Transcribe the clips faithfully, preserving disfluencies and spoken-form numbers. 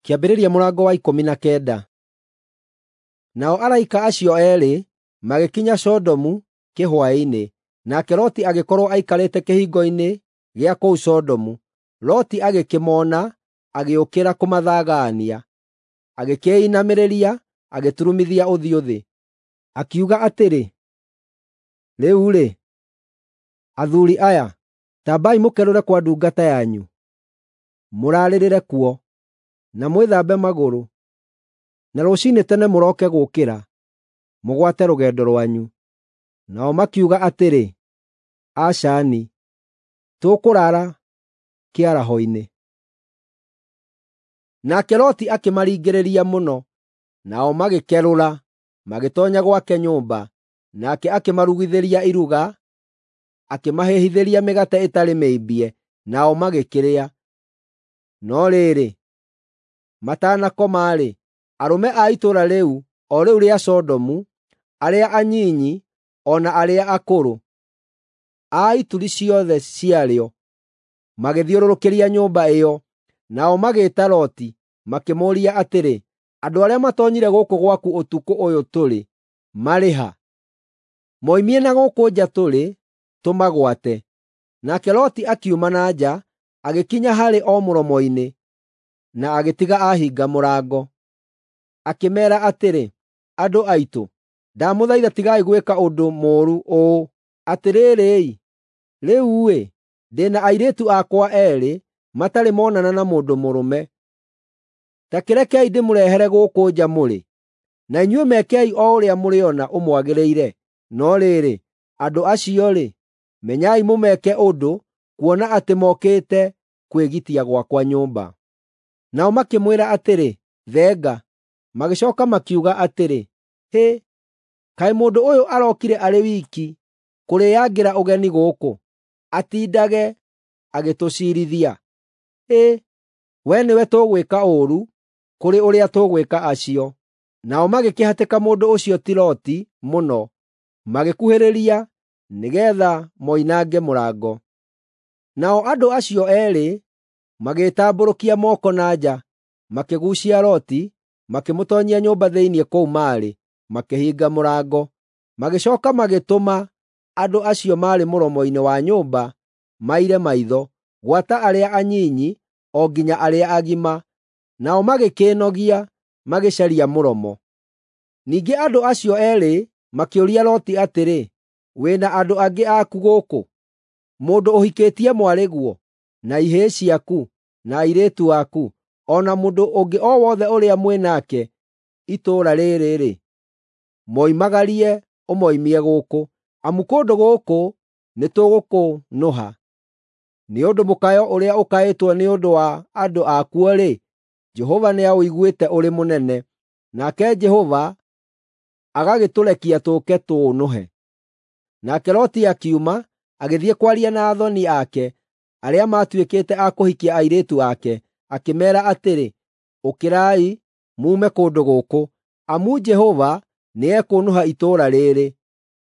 Kĩambĩrĩria mũrango wa ikũmi na kenda. Nao araika acio eerĩ magĩkinya Sodomu kĩhwaĩ-inĩ, nake Loti agĩkorwo aikarĩte kĩhingo-inĩ gĩa kũu Sodomu. Loti agĩkĩmoona, agĩũkĩra kũmathagaania, agĩkĩĩinamĩrĩria, agĩturumithia ũthiũ thĩ. Akiuga atĩrĩ, “Rĩu-rĩ, athuuri aya, ta ambai mũkerũre kwa ndungata yanyu, mũraarĩrĩre kuo, na mwĩthambe magũrũ, na rũciinĩ tene mũroke gũũkĩra, mũgwate rũgendo rwanyu.” Nao makiuga atĩrĩ, “Aca-ni, tũkũraara kĩaraho-inĩ.” Nake Loti akĩmaringĩrĩria mũno, nao magĩkerũra, magĩtoonya gwake nyũmba. Nake akĩmarugithĩria iruga, akĩmahĩhithĩria mĩgate ĩtarĩ mĩimbie, nao magĩkĩrĩa. No rĩrĩ, matanakoma-rĩ, arũme a itũũra rĩu, o rĩu rĩa Sodomu, arĩa anyinyi o na arĩa akũrũ, a ituri ciothe ciarĩo, magĩthiũrũrũkĩria nyũmba ĩyo. Nao magĩĩta Loti, makĩmũũria atĩrĩ, “Andũ arĩa matoonyire gũkũ gwaku ũtukũ ũyũ tũrĩ, marĩ ha? Moimie na gũkũ nja tũrĩ, tũmagwate.” Nake Loti akiuma na nja, agĩkinya harĩ o mũromo-inĩ, na agĩtiga ahinga mũrango. Akĩmeera atĩrĩ, “Andũ aitũ, ndamũthaitha tigai gwĩka ũndũ mũũru ũũ. Atĩrĩrĩ-i, rĩu-ĩ, ndĩ na airĩtu akwa eerĩ matarĩ monana na mũndũ mũrũme. Ta kĩrekei ndĩmũrehere gũkũ nja mũrĩ, na inyuĩ mekei o ũrĩa mũrĩona ũmwagĩrĩire. No rĩrĩ, andũ acio-rĩ, menyai mũmeke ũndũ, kuona atĩ mokĩte kwĩgitia gwakwa nyũmba.” Nao makĩmwĩra atĩrĩ, “Thenga.” Magĩcooka makiuga atĩrĩ, “Hĩ, kaĩ mũndũ ũyũ arokire arĩ wiki kũrĩĩangĩra ũgeni gũkũ, atindage agĩtũciirithia? Hĩ, we nĩwe tũgwĩka ũũru kũrĩ ũrĩa tũgwĩka acio.” Nao magĩkĩhatĩka mũndũ ũcio ti Loti mũno, magĩkuhĩrĩria nĩgeetha moinange mũrango. Nao andũ acio eerĩ magĩĩtambũrũkia moko na nja, makĩguucia Loti, makĩmũtoonyia nyũmba thĩinĩ kũu maarĩ, makĩhinga mũrango. Magĩcooka magĩtũma andũ acio maarĩ mũromo-inĩ wa nyũmba maire maitho, gwata arĩa anyinyi o nginya arĩa agima. Nao magĩkĩĩnogia magĩcaria mũromo. Ningĩ andũ acio eerĩ makĩũria Loti atĩrĩ, “Wĩ na andũ angĩ aku gũkũ? Mũndũ ũhikĩtie mwarĩguo, na ihĩĩ ciaku, na airĩtu aku, o na mũndũ ũngĩ o wothe ũrĩa mwĩ nake itũũra rĩrĩ-rĩ, moimagarie ũmoimie gũkũ, amu kũndũ gũkũ nĩtũgũkũnũha. Nĩ ũndũ mũkayo ũrĩa ũkaĩtwo nĩ ũndũ wa andũ akuo-rĩ, Jehova nĩaũiguĩte ũrĩ mũnene, nake Jehova agagĩtũrekia tũũke tũũnũhe.” Nake Loti akiuma, agĩthiĩ kwaria na athoni ake, arĩa maatuĩkĩte a kũhikia airĩtu ake, akĩmeera atĩrĩ, “Ũkĩrai, muume kũndũ gũkũ, amu Jehova nĩekũnũha itũũra rĩĩrĩ.”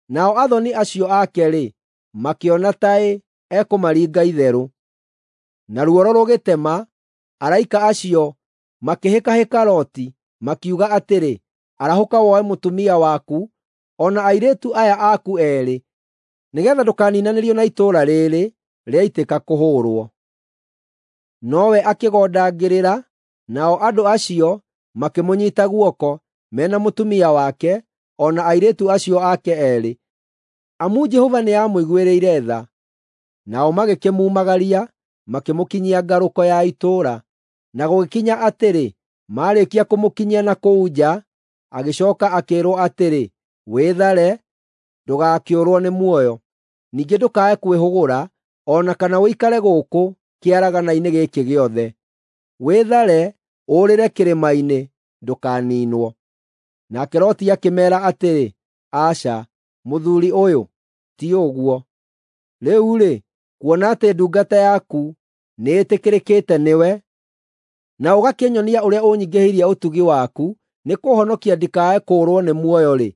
Nao athoni acio ake-rĩ, makĩona taĩ ekũmaringa itherũ. Na ruoro rũgĩtema, araika acio makĩhĩkahĩka Loti, makiuga atĩrĩ, “Arahũka woe mũtumia waku o na airĩtu aya aku eerĩ, nĩgeetha ndũkaninanĩrio na itũũra rĩĩrĩ rĩaitĩka kũhũũrwo.” Nowe akĩgondangĩrĩra, nao andũ acio makĩmũnyiita guoko, me na mũtumia wake o na airĩtu acio ake eerĩ, amu Jehova nĩamũiguĩrĩire tha. Nao magĩkĩmumagaria, makĩmũkinyia ngarũko ya itũũra. Na gũgĩkinya atĩrĩ, maarĩkia kũmũkinyia na kũu nja, agĩcooka akĩĩrwo atĩrĩ, “Wĩthare, ndũgakĩũrwo nĩ muoyo. Ningĩ ndũkae kwĩhũgũra, o na kana ũikare gũkũ kĩaragana-inĩ gĩkĩ gĩothe. Wĩthare, ũũrĩre kĩrĩma-inĩ, ndũkaniinwo.” Nake Loti akĩmeera atĩrĩ, “Aca, mũthuuri ũyũ, ti ũguo. Rĩu-rĩ, kuona atĩ ndungata yaku nĩĩtĩkĩrĩkĩte nĩwe, na ũgakĩnyonia ũrĩa ũnyingĩhĩirie ũtugi waku nĩkũũhonokia ndikae kũũrwo nĩ muoyo-rĩ,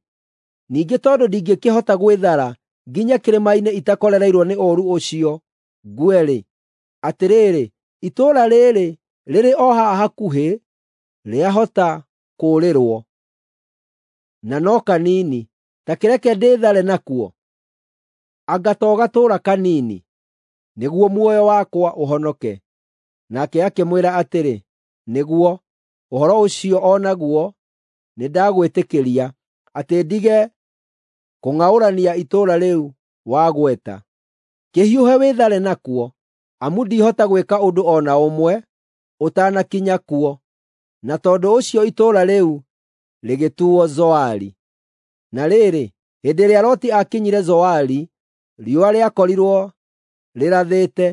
ningĩ tondũ ndingĩkĩhota gwĩthara nginye kĩrĩma-inĩ itakorereirwo nĩ ũũru ũcio ngue-rĩ, atĩrĩrĩ, itũũra rĩĩrĩ rĩrĩ o haha hakuhĩ. rĩahota kũũrĩrwo, na no kanini. Ta kĩreke ndĩĩthare nakuo, anga to gatũũra kanini, nĩguo muoyo wakwa ũhonoke.” Nake akĩmwĩra atĩrĩ, “Nĩguo, ũhoro ũcio o naguo nĩndagwĩtĩkĩria, atĩ ndige kũng'aũrania itũũra rĩu wagweta. Kĩhiũhe wĩthare nakuo, amu ndihota gwĩka ũndũ o na ũmwe ũtanakinya kuo.” Na tondũ ũcio itũũra rĩu rĩgĩtuuo Zoari. Na rĩrĩ, hĩndĩ ĩrĩa Loti aakinyire Zoari, riũa rĩakorirwo rĩrathĩte,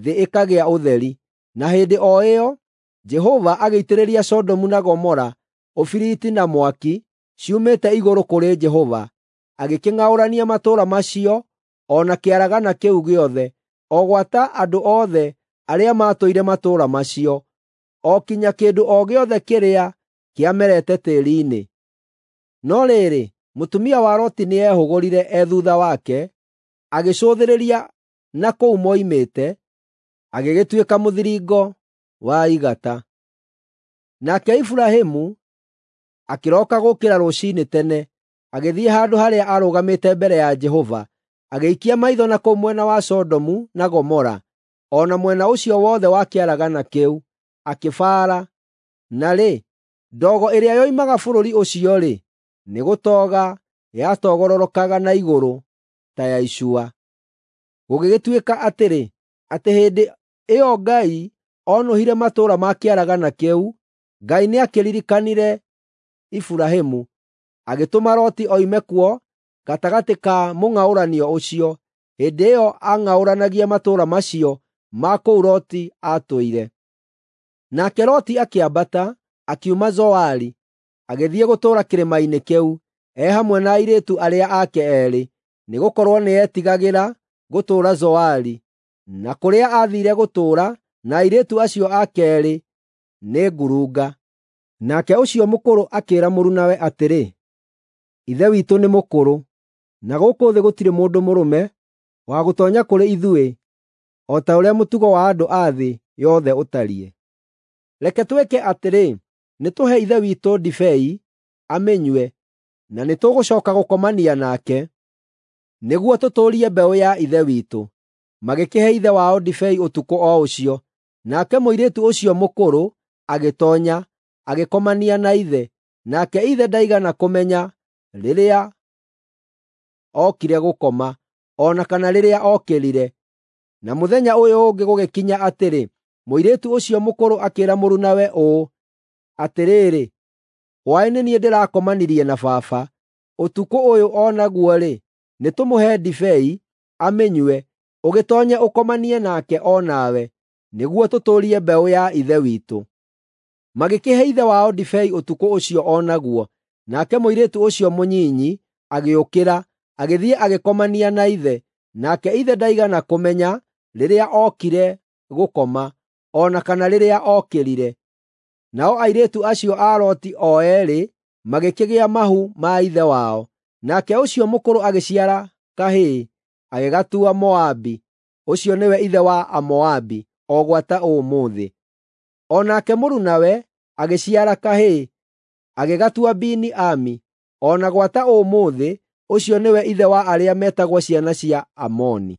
thĩ ĩkagĩa ũtheri. Na hĩndĩ o ĩyo Jehova agĩitĩrĩria Sodomu na Gomora ũbiriti na mwaki ciumĩte igũrũ kũrĩ Jehova, agĩkĩng'aũrania matũũra macio o na kĩaragana kĩu gĩothe, o gwata andũ othe arĩa maatũire matũũra macio, o kinya kĩndũ o gĩothe kĩrĩa kĩamerete tĩĩri-inĩ. No rĩrĩ, mũtumia wa Loti nĩehũgũrire e thuutha wake, agĩcũthĩrĩria na kũu moimĩte, agĩgĩtuĩka mũthiringo wa igata. Nake Iburahĩmu akĩroka gũũkĩra rũciinĩ tene, agĩthiĩ handũ harĩa aarũgamĩte mbere ya Jehova, agĩikia maitho na kũu mwena wa Sodomu na Gomora, o na mwena ũcio wothe wa kĩaragana kĩu, akĩbaara. Na rĩ, ndogo ĩrĩa yoimaga bũrũri ũcio-rĩ, nĩgũtoga yatogororokaga na igũrũ ta ya icua. Gũgĩgĩtuĩka atĩrĩ, atĩ hĩndĩ ĩyo Ngai oonũhire matũũra ma kĩaragana kĩu, Ngai nĩakĩririkanire Iburahĩmu, agĩtũma Loti oime kuo gatagatĩ ka mũng'aũranio ũcio, hĩndĩ ĩyo aang'aũranagia matũũra macio ma kũu Loti aatũire. Nake Loti akĩambata, akiuma Zoari, agĩthiĩ gũtũũra kĩrĩma-inĩ kĩu, e hamwe na airĩtu arĩa ake eerĩ, nĩgũkorwo nĩetigagĩra gũtũũra Zoari. Na kũrĩa aathiire gũtũũra na airĩtu acio ake eerĩ nĩ ngurunga. Nake ũcio mũkũrũ akĩĩra mũrunawe atĩrĩ, “Ithe witũ nĩ mũkũrũ, na gũkũ thĩ gũtirĩ mũndũ mũrũme wa gũtoonya kũrĩ ithuĩ o ta ũrĩa mũtugo wa andũ a thĩ yothe ũtariĩ. Reke twĩke atĩrĩ, nĩtũhe ithe witũ ndibei amĩnyue, na nĩtũgũcooka gũkomania nake, nĩguo tũtũũrie mbeũ ya ithe witũ.” Magĩkĩhe ithe wao ndibei ũtukũ o ũcio. Nake mũirĩtu ũcio mũkũrũ agĩtoonya, agĩkomania na ithe. Nake ithe ndaigana kũmenya rĩrĩa ookire gũkoma, o na kana rĩrĩa ookĩrire. Na mũthenya ũyũ ũngĩ gũgĩkinya atĩrĩ, mũirĩtu ũcio mũkũrũ akĩĩra mũrunawe ũũ, “Atĩrĩrĩ, hwaĩ nĩ niĩ ndĩrakomanirie na baba. Ũtukũ ũyũ o naguo-rĩ, nĩtũmũhe ndibei amĩnyue, ũgĩtoonye ũkomanie nake o nawe, nĩguo tũtũũrie mbeũ ya ithe witũ.” Magĩkĩhe ithe wao ndibei ũtukũ ũcio o naguo. Nake mũirĩtu ũcio mũnyinyi agĩũkĩra, agĩthiĩ agĩkomania na ithe. Nake ithe ndaigana kũmenya rĩrĩa ookire gũkoma, o na kana rĩrĩa ookĩrire. Nao airĩtu acio a Loti o eerĩ magĩkĩgĩa mahu ma ithe wao. Nake ũcio mũkũrũ agĩciara kahĩĩ, agĩgatua Moabi. Ũcio nĩwe ithe wa Amoabi o gwata ũmũthĩ. O nake mũrunawe agĩciara kahĩĩ, agĩgatua Beni-Ami. O na gwata ũmũthĩ ũcio nĩwe ithe wa arĩa metagwo ciana cia Amoni.